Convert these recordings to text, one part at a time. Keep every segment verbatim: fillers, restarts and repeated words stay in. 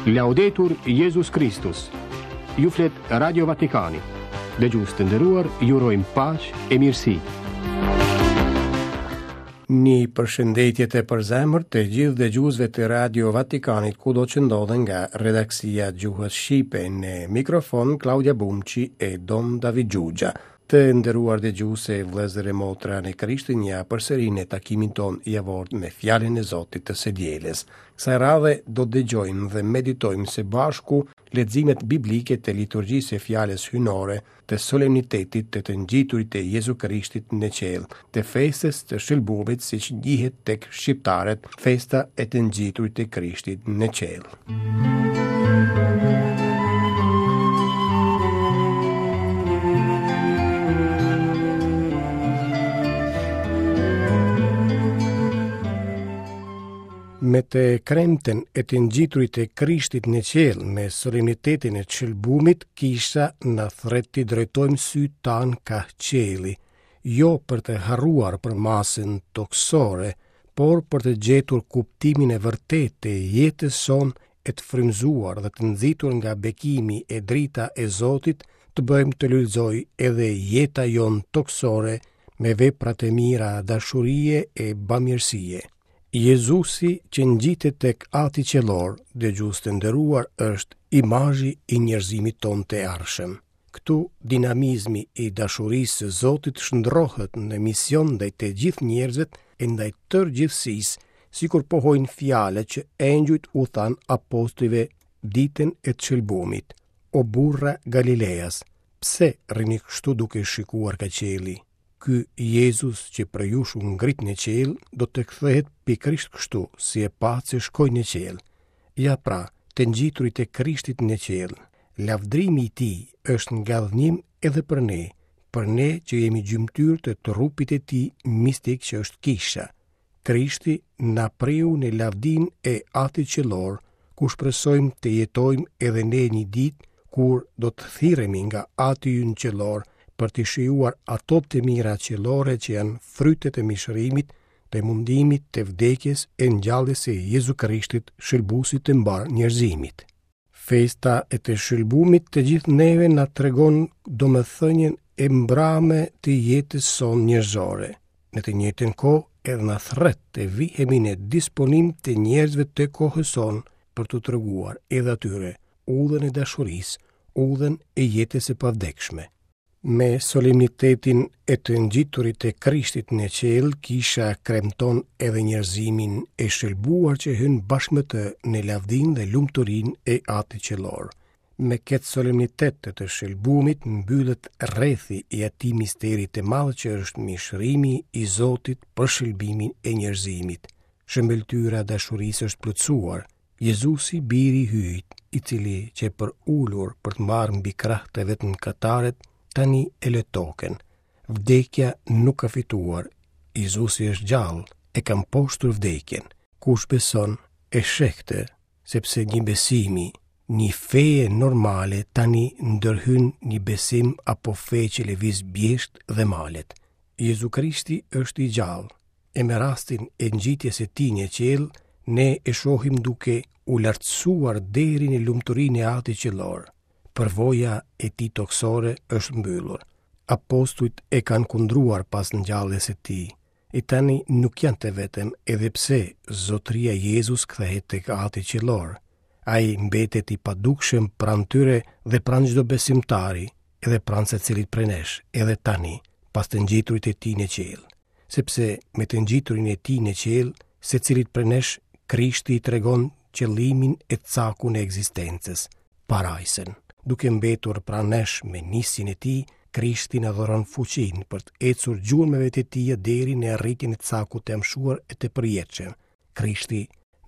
Laudetur Jezus Kristus. Ju flet Radio Vatikani. Dëgjues të nderuar, ju urojmë paqe e mirësi. Një përshëndetje të përzemërt të gjithë dëgjuesve të Radio Vatikanit kudo që ndodhen nga redaksia e gjuhës shqipe në mikrofon Klaudia Bumçi e Dom David Xhuxha. Të nderuar dëgjues e vëllezër e motra në Krishtin, ja përsëri në takimin tonë javor me fjalën e Zotit të së dielës. Kësaj radhe do të dëgjojmë dhe meditojmë së bashku leximet biblike të liturgjisë së fjalës hyjnore, të solemnitetit të të ngjiturit të Jezu Krishtit në qiell, të festës të shëlbumit siç njihet tek shqiptarët, festa e të ngjiturit të Krishtit në qiell. Me të kremten e të ngjiturit të Krishtit në qiell, me solemnitetin e shëlbumit, kisha na thërret t'i drejtojmë sytë tanë kah qielli, jo për të harruar për masën tokësore, por për të gjetur kuptimin e vërtetë të jetës sonë e të frymëzuar dhe të nxitur nga bekimi e drita e Zotit, të bëjmë të lulëzojë edhe jeta jonë tokësore me veprat e mira dashurie e bamirësie. Jezusi që ngjitet tek Ati Qiellor, dëgjues të nderuar, është imazhi i njerëzimit tonë të ardhshëm. Këtu dinamizmi i dashurisë së Zotit shndrohet në mision ndaj të gjithë njerëzve e ndaj tërë gjithësisë, sikur pohojnë fjalët që engjujt u thanë apostujve ditën e të shëlbumit. O burra Galileas, pse rrini kështu duke shikuar ka qielli? Ky Jezus që prej jush u ngrit në qiell, do të kthehet pikërisht kështu, si e patë se shkoi në qiell. Ja pra, të ngjiturit e Krishtit në qiell, lavdrimi i tij është ngadhënjim edhe për ne, për ne që jemi gjymtyrë të trupit të tij mistik që është kisha. Krishti na priu në lavdinë e Atit Qiellor, ku shpresojmë të jetojmë edhe ne një ditë kur do të thirremi nga Ati ynë Qiellor për të shijuar ato të mira qiellore që janë frytet e mishërimit, të mundimit, të vdekjes e ngjalljes së Jezu Krishtit, shëlbuesit të mbarë njerëzimit. Festa e të shëlbumit të gjithë neve na tregon domethënien e mbrame të jetës sonë njerëzore. Në të njëjtën kohë edhe na thërret të vihemi në disponim të njerëzve të kohës sonë për t'u treguar edhe atyre udhën e dashurisë, udhën e jetës së pavdekshme. Me solemnitetin e të ngjiturit të Krishtit në qiell, kisha kremton edhe njerëzimin e shëlbuar që hyn bashkë me të në lavdinë dhe lumturinë e Atit Qiellor. Me këtë solemnitet të të shëlbumit mbyllet rrethi i atij misteri të madh që është mishërimi i Zotit për shëlbimin e njerëzimit. Shëmbëlltyra e dashurisë është plotësuar. Jezusi, biri i Hyjit, i cili qe përulur për të marrë mbi krah të vet mëkatarët, tani e lë tokën. Vdekja nuk ka fituar. Jezusi është gjallë, e ka mposhtur vdekjen. Kush beson e sheh këtë, sepse një besimi, një feje normale tani ndërhyn një besim apo fe që lëviz bjeshkët dhe malet. Jezu Krishti është i gjallë, e me rastin e ngjitjes së tij në qiell, ne e shohim duke u lartësuar deri në lumturinë e Atit Qiellor. Përvoja e tij tokësore është mbyllur. Apostujt e kanë kundruar pas ngjalljes së tij. E tani nuk janë të vetëm, edhe pse Zotëria Jezus kthehet tek Ati Qiellor. Ai mbetet i padukshëm pranë tyre dhe pranë çdo besimtari, edhe pranë secilit prej nesh, edhe tani, pas të ngjiturit e tij në qiell. Sepse me të ngjiturin e tij në qiell, secilit prej nesh Krishti i tregon qëllimin e cakun e ekzistencës, parajsën. Duke mbetur pranë nesh me nisjen e tij, Krishti na dhuron fuqinë për të ecur gjurmëve të tij deri në arritjen e cakut të amshuar e të përjetshëm. Krishti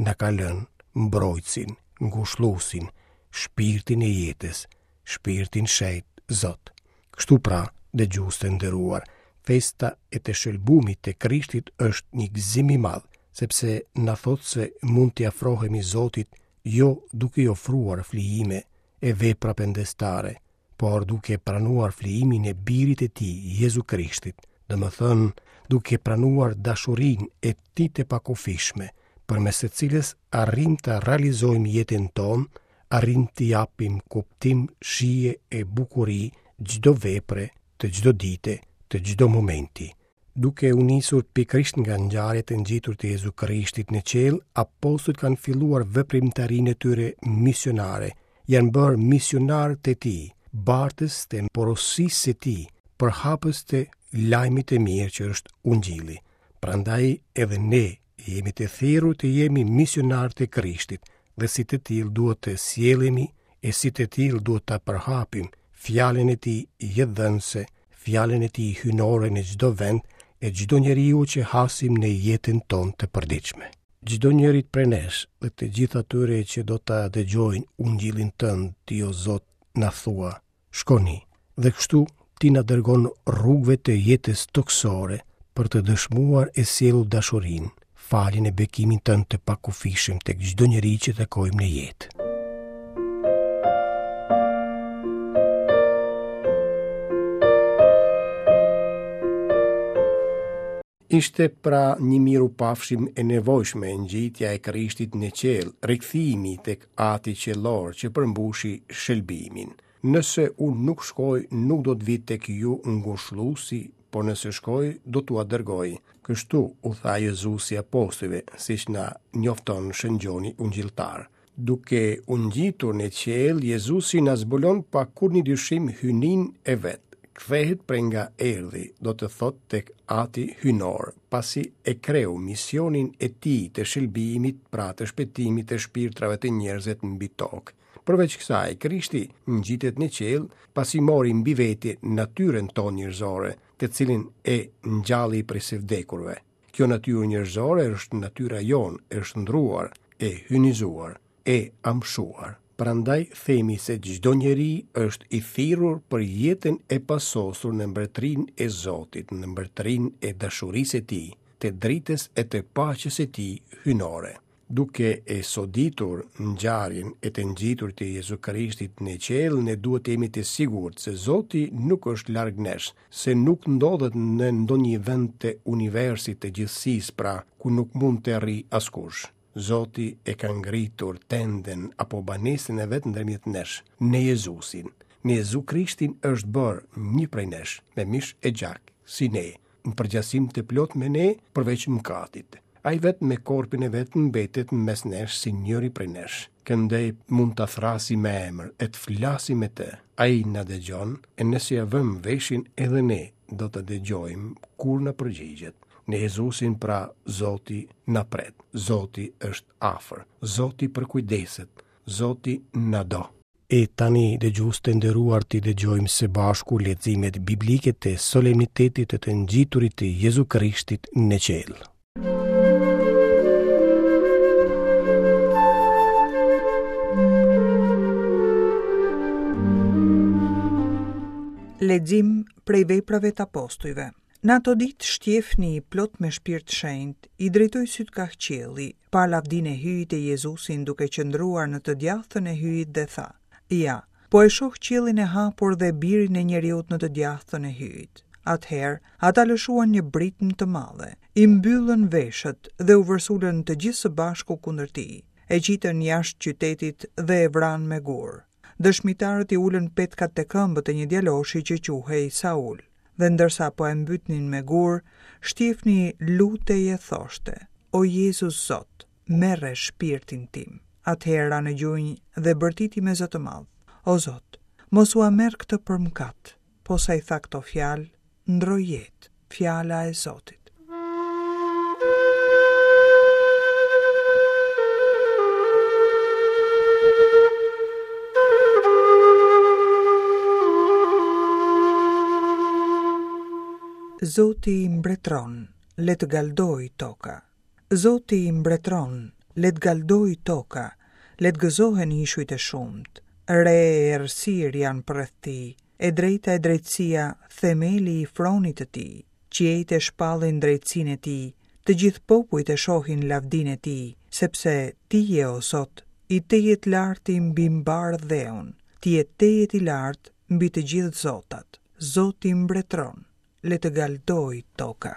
na ka lënë mbrojtësin, ngushëlluesin, shpirtin e jetës, shpirtin shenjt Zot. Kështu pra, dëgjues të nderuar, festa e të shëlbumit të Krishtit është një gëzim i madh, sepse na thotë se mund t'i afrohemi Zotit jo duke i ofruar flijime e vepra pendestare, por duke pranuar flijimin e birit të tij, Jezu Krishtit, domethënë duke pranuar dashurinë e tij të pakufishme, përmes së cilës arrim të realizojmë jetën tonë arrijmë t'i japim kuptim, shije e bukuri çdo vepre, të çdo dite, të çdo momenti. Duke u nisur pikërisht nga ngjarjet e ngjiturit të Jezu Krishtit në qiell, apostujt kanë filluar veprimtarinë e tyre misionare, janë bërë misionarë të tij, bartës të porosisë së tij, përhapës të lajmit të mirë që është Ungjilli. Prandaj edhe ne jemi të thirrur të jemi misionarë të Krishtit dhe si të tillë duhet të sjellemi e si të tillë duhet ta përhapim fjalën e tij jetëdhënëse, fjalën e tij hyjnore në çdo vend e çdo njeriu që hasim në jetën tonë të përditshme. Çdo njërit prej nesh dhe të gjithë atyre që do ta dëgjojnë Ungjillin tënd, ti o Zot, na thua, shkoni. Dhe kështu ti na dërgon rrugëve të jetës tokësore për të dëshmuar e sjellur dashurinë, faljen e bekimin tënd të pakufishëm tek çdo njeri që takojmë në jetë. Ishte pra një mirupafshim e nevojshme ngjitja e Krishtit në qiell, rikthimi tek Ati qiellor që përmbushi shëlbimin. Nëse unë nuk shkoj, nuk do të vi tek ju ngushëlluesi, por nëse shkoj, do t'ua dërgoj. Kështu u tha Jezusi apostujve, siç na njofton Shën Gjoni Ungjilltar. Duke u ngjitur në qiell, Jezusi na zbulon pa kurrë dyshim hyjninë e vet. Kthehet prej nga erdhi, do të thotë tek Ati hyjnor, pasi e kreu misionin e tij të shëlbimit, pra të shpëtimit të shpirtrave të njerëzve mbi tokë. Përveç kësaj, Krishti ngjitet në qiell, pasi mori mbi vete natyrën tonë njerëzore, të cilin e ngjalli prej së vdekurve. Kjo natyrë njerëzore është natyra jonë, e shndruar, e hyjnizuar, e amshuar. Prandaj themi se çdo njeri është i thirrur për jetën e pasosur në mbretërinë e Zotit, në mbretërinë e dashurisë së tij, të dritës e të paqes së tij hyjnore. Duke e soditur ngjarjen e të ngjiturit të Jezu Krishtit në qiell, ne duhet të jemi të sigurt se Zoti nuk është larg nesh, se nuk ndodhet në ndonjë vend të universit të gjithësisë, pra ku nuk mund të arrijë askush. Zoti e ka ngritur tendën apo banesën e vet ndërmjet nesh, në Jezusin. Në Jezu Krishtin është bërë një prej nesh, me mish e gjak, si ne, në përgjasim të plot me ne, përveç mëkatit. Ai vet me korpin e vet mbetet mes nesh si njëri prej nesh. Këndej mund ta thrasi me emër e të flasi me të. Ai na dëgjon, e nëse ia vëm veshin edhe ne do të dëgjojmë kur na përgjigjet. Në Jezusin pra Zoti na pret, Zoti është afër, Zoti përkujdeset, Zoti na do. E tani, dëgjues të nderuar, t'i dëgjojmë së bashku leximet biblike të solemnitetit të të ngjiturit të Jezu Krishtit në qiell. Lexim prej veprave të apostujve. Në ato ditë Shtjefni i plot me shpirt shenjt, i drejtoi sytë kah qielli, pa lavdinë e Hyjit e Jezusin duke qëndruar në të djathtën e Hyjit dhe tha: Ja, po e shoh qiellin e hapur dhe birin e njeriut në të djathtën e Hyjit. Atëherë, ata lëshuan një britmë të madhe, i mbyllën veshët dhe u vërsulën të gjithë së bashku kundër tij. E qitën jashtë qytetit dhe e vranë me gur. Dëshmitarët i ulën petkat te këmbët e një djaloshi që quhej Saul. Dhe ndërsa po e mbytnin me gur, Shtjefni lutej e thoshte: O Jezus Zot, merre shpirtin tim. Atëherë ra në gjunjë dhe bërtiti me zë të madh: O Zot, mos ua merr këtë për mëkat. Posa i tha këto fjalë, ndroi jetë. Fjala e Zotit. Zoti mbretëron, le të galdoj toka. Zoti mbretëron, le të galdoj toka, le të gëzohen ishujt e shumtë. Re e errësirë janë përreth tij, e drejta e drejtësia, themeli i fronit të tij. Qiejt e shpallin drejtësinë e tij, të gjithë popujt e shohin lavdinë e tij, sepse ti je, o Zot, i tejet larti mbi mbar dheun, ti je tejet i lartë mbi të gjithë zotat. Zoti mbretëron, le të galdoj toka.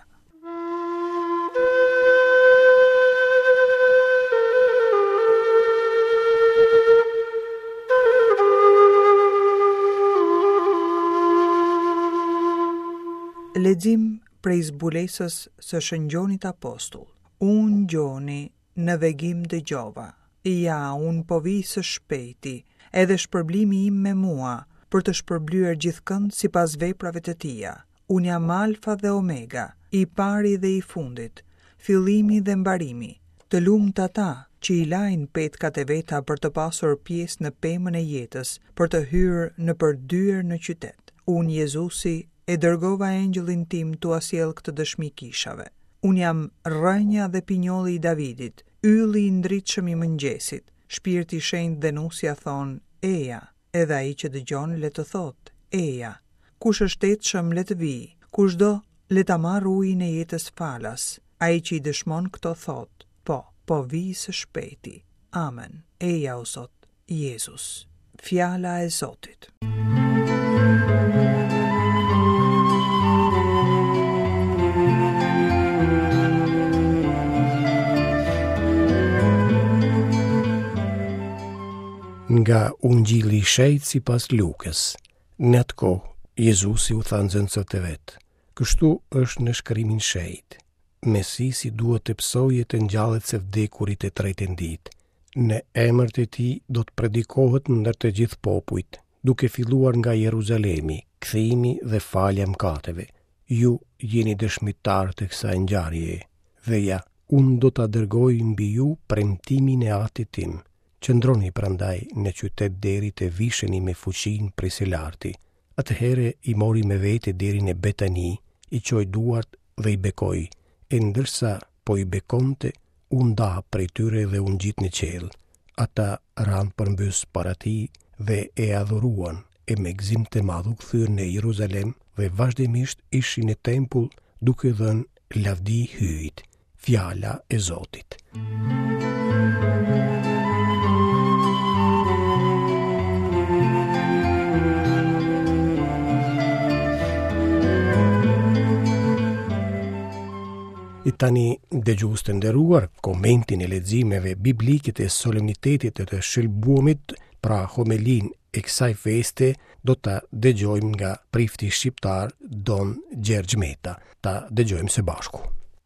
Lexim prej zbulesës së Shën Gjonit Apostull. Unë Gjoni në vegim dëgjova. Ja, unë po vij së shpejti, edhe shpërblimi im me mua, për të shpërblyer gjithkënd sipas veprave të tija. Unë jam Alfa dhe Omega, i pari dhe i fundit, fillimi dhe mbarimi. Të lumtë ata që i lajnë petkat e veta për të pasur pjesë në pemën e jetës, për të hyrë nëpër dyer në qytet. Unë Jezusi e dërgova engjëllin tim t'ua sjell këtë dëshmi kishave. Unë jam rrënja dhe pinjolli i Davidit, ylli i ndritshëm i mëngjesit. Shpirti i shenjtë dhe nusja thonë, eja, edhe ai që dëgjon le të thotë, eja. Kush është etshëm le të vijë, kush do le ta marrë ujin e jetës falas. Ai që i dëshmon këto thotë, po, po vij së shpejti. Amen. Eja o Zot, Jezus. Fjala e Zotit. Nga Ungjilli i Shenjtë sipas Lukës. Në atë kohë, Jezusi u tha nxënësve të vet: Kështu është në shkrimin shenjt. Mesisi duhet të pësojë të ngjallet së vdekurit të tretën ditë. Në emër të tij do të predikohet ndër të gjithë popujt, duke filluar nga Jeruzalemi, kthimi dhe falja e mëkateve. Ju jeni dëshmitar të kësaj ngjarjeje. Dhe ja, unë do ta dërgoj mbi ju premtimin e Atit tim. Qëndroni prandaj në qytet deri të visheni me fuqinë prej së larti. Atëherë i mori me vete deri në Betani, i çoi duart dhe i bekoi, e ndërsa po i bekonte, u nda prej tyre dhe u ngjit në qiell. Ata ranë përmbys para tij dhe e adhuruan, e me gëzim të madh u kthyen në Jeruzalem dhe vazhdimisht ishin në tempull duke dhënë lavdi Hyjit. Fjala e Zotit. E tani, dëgjues të nderuar, komentin e leximeve biblike të solemnitetit të të shëlbuamit, pra homelinë e kësaj feste, do ta dëgjojmë nga prifti shqiptar Don Gjergj Meta. Ta dëgjojmë së bashku.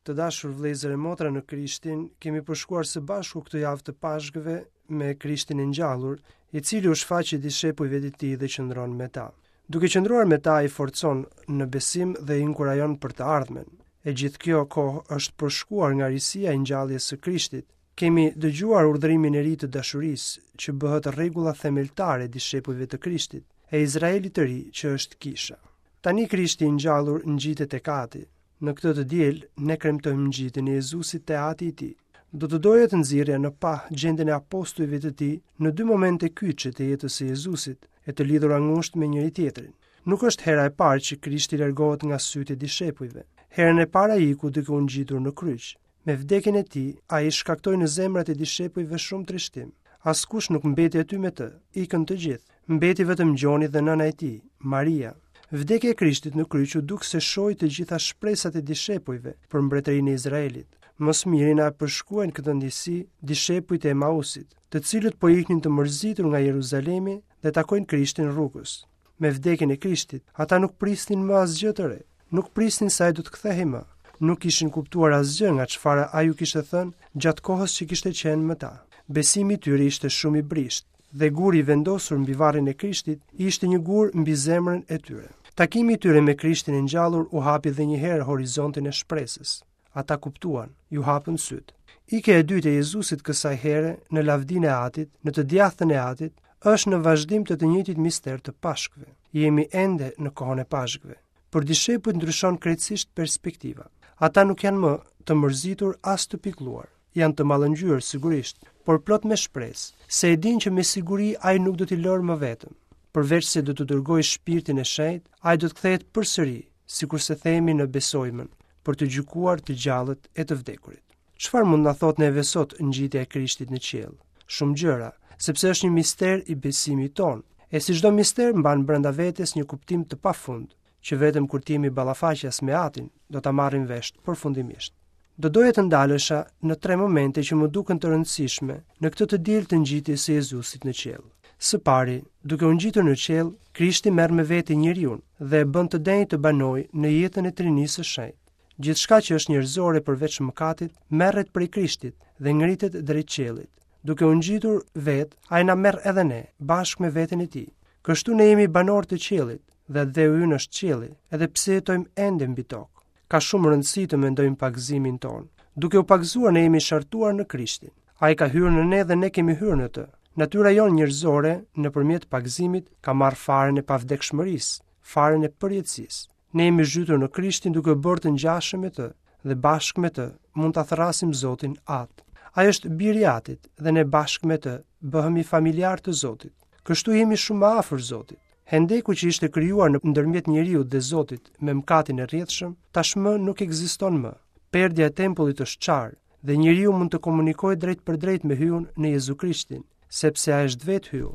Të dashur vëllezër e motra në Krishtin, kemi përshkuar së bashku këtë javë të Pashkëve me Krishtin e ngjallur, i cili u shfaqi dishepujve të tij dhe qëndron me ta. Duke qëndruar me ta, i forcon në besim dhe i inkurajon për të ardhmen. E gjithë kjo kohë është përshkuar nga risia e ngjalljes së Krishtit. Kemi dëgjuar urdhërimin e ri të dashurisë, që bëhet rregulla themeltare e dishepujve të Krishtit, e Izraelit të ri, që është kisha. Tani Krishti i ngjallur ngjitet tek Ati. Në këtë të diel, ne kremtojmë ngjitjen e Jezusit te Ati i tij. Do të doja të nxirrja në pah gjendjen e apostujve të tij në dy momente kyçe të jetës së Jezusit, e të lidhura ngushtë me njëri tjetrin. Nuk është hera e parë që Krishti largohet nga sytë e dishepujve. Herën e parë ai iku duke u ngjitur në kryq. Me vdekjen e tij, ai shkaktoi në zemrat e dishepujve shumë trishtim. Askush nuk mbeti aty me të, ikën të gjithë. Mbeti vetëm Gjoni dhe nëna e tij, Maria. Vdekja e Krishtit në kryq u duk se shoi të gjitha shpresat e dishepujve për mbretërinë e Izraelit. Më së miri na përshkruajnë këtë ndjesi dishepujt e Emausit, të cilët po iknin të mërzitur nga Jeruzalemi dhe takojnë Krishtin rrugës. Me vdekjen e Krishtit, ata nuk prisnin më asgjë të re. Nuk prisnin se ai do të kthehej më. Nuk kishin kuptuar asgjë nga çfarë ai u kishte thënë gjatë kohës që kishte qenë me ta. Besimi i tyre ishte shumë i brishtë dhe guri i vendosur mbi varrin e Krishtit ishte një gur mbi zemrën e tyre. Takimi i tyre me Krishtin e ngjallur u hapi edhe një herë horizontin e shpresës. Ata kuptuan, ju hapën sytë. Ikja e dytë e Jezusit kësaj here në lavdinë e Atit, në të djathtën e Atit, është në vazhdim të të njëjtit mister të Pashkëve. Jemi ende në kohën e Pashkëve. Për dishepujt ndryshon krejtësisht perspektiva. Ata nuk janë më të mërzitur as të pikëlluar. Janë të mallëngjyer sigurisht, por plot me shpresë, se e dinë që me siguri ai nuk do t'i lërë më vetëm. Përveç se do të dërgojë shpirtin e shenjtë, ai do të kthehet përsëri, sikurse themi në Besojmën, për të gjykuar të gjallët e të vdekurit. Çfarë mund na thotë neve sot ngjitja e Krishtit në qiell? Shumë gjëra, sepse është një mister i besimit tonë. E si çdo mister mban brenda vetes një kuptim të pafund, që vetëm kur të jemi ballafaqas me Atin, do ta marrim vesh përfundimisht. Do doja të ndalesha në tre momente që më duken të rëndësishme në këtë të diel të ngjitjes së Jezusit në qiell. Së pari, duke u ngjitur në qiell, Krishti merr me vete njeriun dhe e bën të denjë të banojë në jetën e Trinisë së Shenjtë. Gjithçka që është njerëzore përveç mëkatit, merret prej Krishtit dhe ngritet drejt qiellit. Duke u ngjitur vet, ai na merr edhe ne, bashkë me veten e tij. Kështu ne jemi banorë të qiellit dhe atdheu ynë është qielli, edhe pse jetojmë ende mbi tokë. Ka shumë rëndësi të mendojmë pagëzimin tonë. Duke u pagëzuar ne jemi shartuar në Krishtin. Ai ka hyrë në ne dhe ne kemi hyrë në të. Natyra jonë njerëzore, nëpërmjet pagëzimit, ka marrë farën e pavdekshmërisë, farën e përjetësisë. Ne jemi zhytur në Krishtin duke u bërë të ngjashëm me të dhe bashkë me të mund ta thërrasim Zotin At. Ai është biri i Atit dhe ne bashkë me të bëhemi familjar të Zotit. Kështu jemi shumë më afër Zotit. Hendeku që ishte krijuar në ndërmjet njeriut dhe Zotit me mëkatin e rrjedhshëm, tashmë nuk ekziston më. Perdja e tempullit është çarë dhe njeriu mund të komunikojë drejt për drejt me Hyun në Jezu Krishtin, sepse ai është vetë Hyu.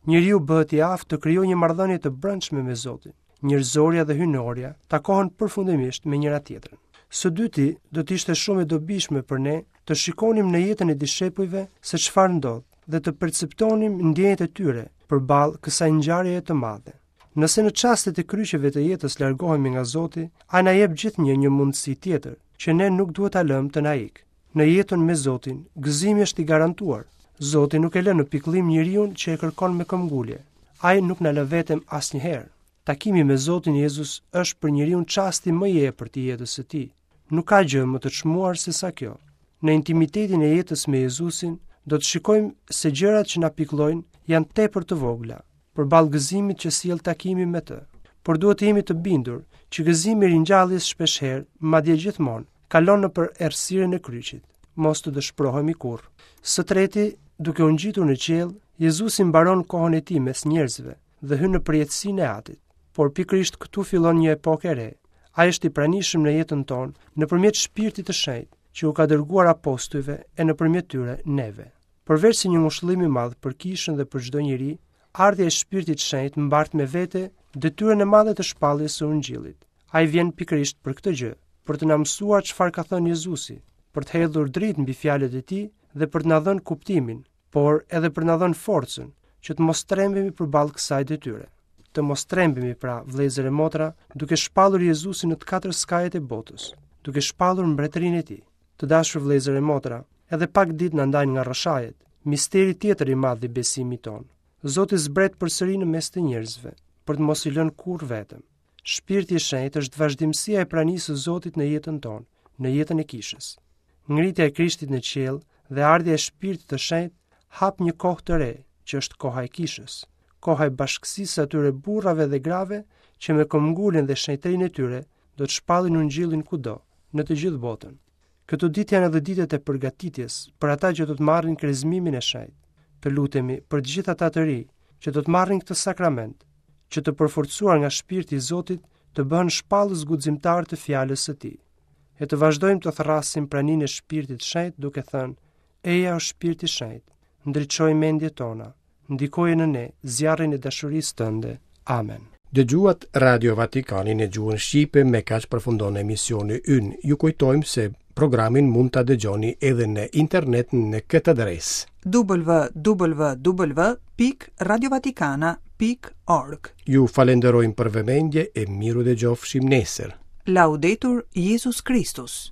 Njeriu bëhet i aftë të krijojë një marrëdhënie të brendshme me Zotin. Njerëzorja dhe hyjnorja takohen përfundimisht me njëra tjetrën. Së dyti, do të ishte shumë e dobishme për ne të shikonim në jetën e dishepujve se çfarë ndodh dhe të perceptonim ndjenjat e tyre përballë kësaj ngjarjeje të madhe. Nëse në çastet e kryqeve të jetës largohemi nga Zoti, ai na jep gjithnjë një mundësi tjetër, që ne nuk duhet ta lëmë të na ikë. Në jetën me Zotin, gëzimi është i garantuar. Zoti nuk e lë në pikëllim njeriun që e kërkon me këmbgulje. Ai nuk na lë vetëm asnjëherë. Takimi me Zotin Jezus është për njeriun çasti më i epërt i jetës së tij. Nuk ka gjë më të çmuar se sa kjo. Në intimitetin e jetës me Jezusin, do të shikojmë se gjërat që na pikëllojnë janë tepër të vogla, përballë gëzimit që sjell takimi me të. Por duhet të jemi të bindur që gëzimi i ringjalljes shpeshherë, madje gjithmonë, kalon nëpër errësirën e kryqit. Mos të dëshprohemi kurrë. Së treti, duke u ngjitur në qiell, Jezusi mbaron kohën e tij mes njerëzve dhe hyn në përjetësinë e Atit. Por pikërisht këtu fillon një epokë e re. Ai është i pranishëm në jetën tonë nëpërmjet Shpirtit të Shenjtë, që u ka dërguar apostujve e nëpërmjet tyre neve. Përveç se një ngushëllim i madh për kishën dhe për çdo njeri, ardhja e Shpirtit të Shenjtë mbart me vete detyrën e madhe të shpalljes së Ungjillit. Ai vjen pikërisht për këtë gjë, për të na mësuar çfarë ka thënë Jezusi, për të hedhur dritë mbi fjalët e tij dhe për të na dhënë kuptimin, por edhe për të na dhënë forcën që të mos trembemi përballë kësaj detyre. Të mos trembemi pra, vëllezër e motra, duke shpallur Jezusin në të katër skajet e botës, duke shpallur mbretërinë e tij. Të dashur vëllezër e motra, edhe pak ditë na ndajnë nga rrëshajet, misteri tjetër i madh i besimit tonë. Zoti zbret përsëri në mes të njerëzve, për të mos i lënë kurrë vetëm. Shpirti i Shenjtë është vazhdimësia e pranisë së Zotit në jetën tonë, në jetën e kishës. Ngritja e Krishtit në qiell dhe ardhja e Shpirtit të Shenjtë hap një kohë të re, që është koha e kishës, koha e bashkësisë së atyre burrave dhe grave që me këmbguljen dhe shenjtërinë e tyre do të shpallin ungjillin kudo, në të gjithë botën. Këto ditë janë edhe ditët e përgatitjes për ata që do të marrin krezmimin e shenjtë. Të lutemi për të gjithë ata të ri që do të marrin këtë sakrament, që të përforcuar nga shpirti i Zotit të bëhen shpallës guximtar të fjalës së tij. E të vazhdojmë të thërrasim praninë e Shpirtit të Shenjtë duke thënë: Eja o Shpirti i Shenjtë, ndriçoj mendjet tona, ndikoje në ne zjarrin e dashurisë tënde. Amen. Dëgjuat Radio Vatikanin në gjuhën shqipe, me kaq përfundon emisioni ynë. Ju kujtojmë se programin mund ta dëgjoni edhe në internet në këtë adresë: w w w pikë radiovatikana pikë org. Ju falenderojmë për vëmendje e miru dëgjofshim nesër. Laudetur Jezus Christus.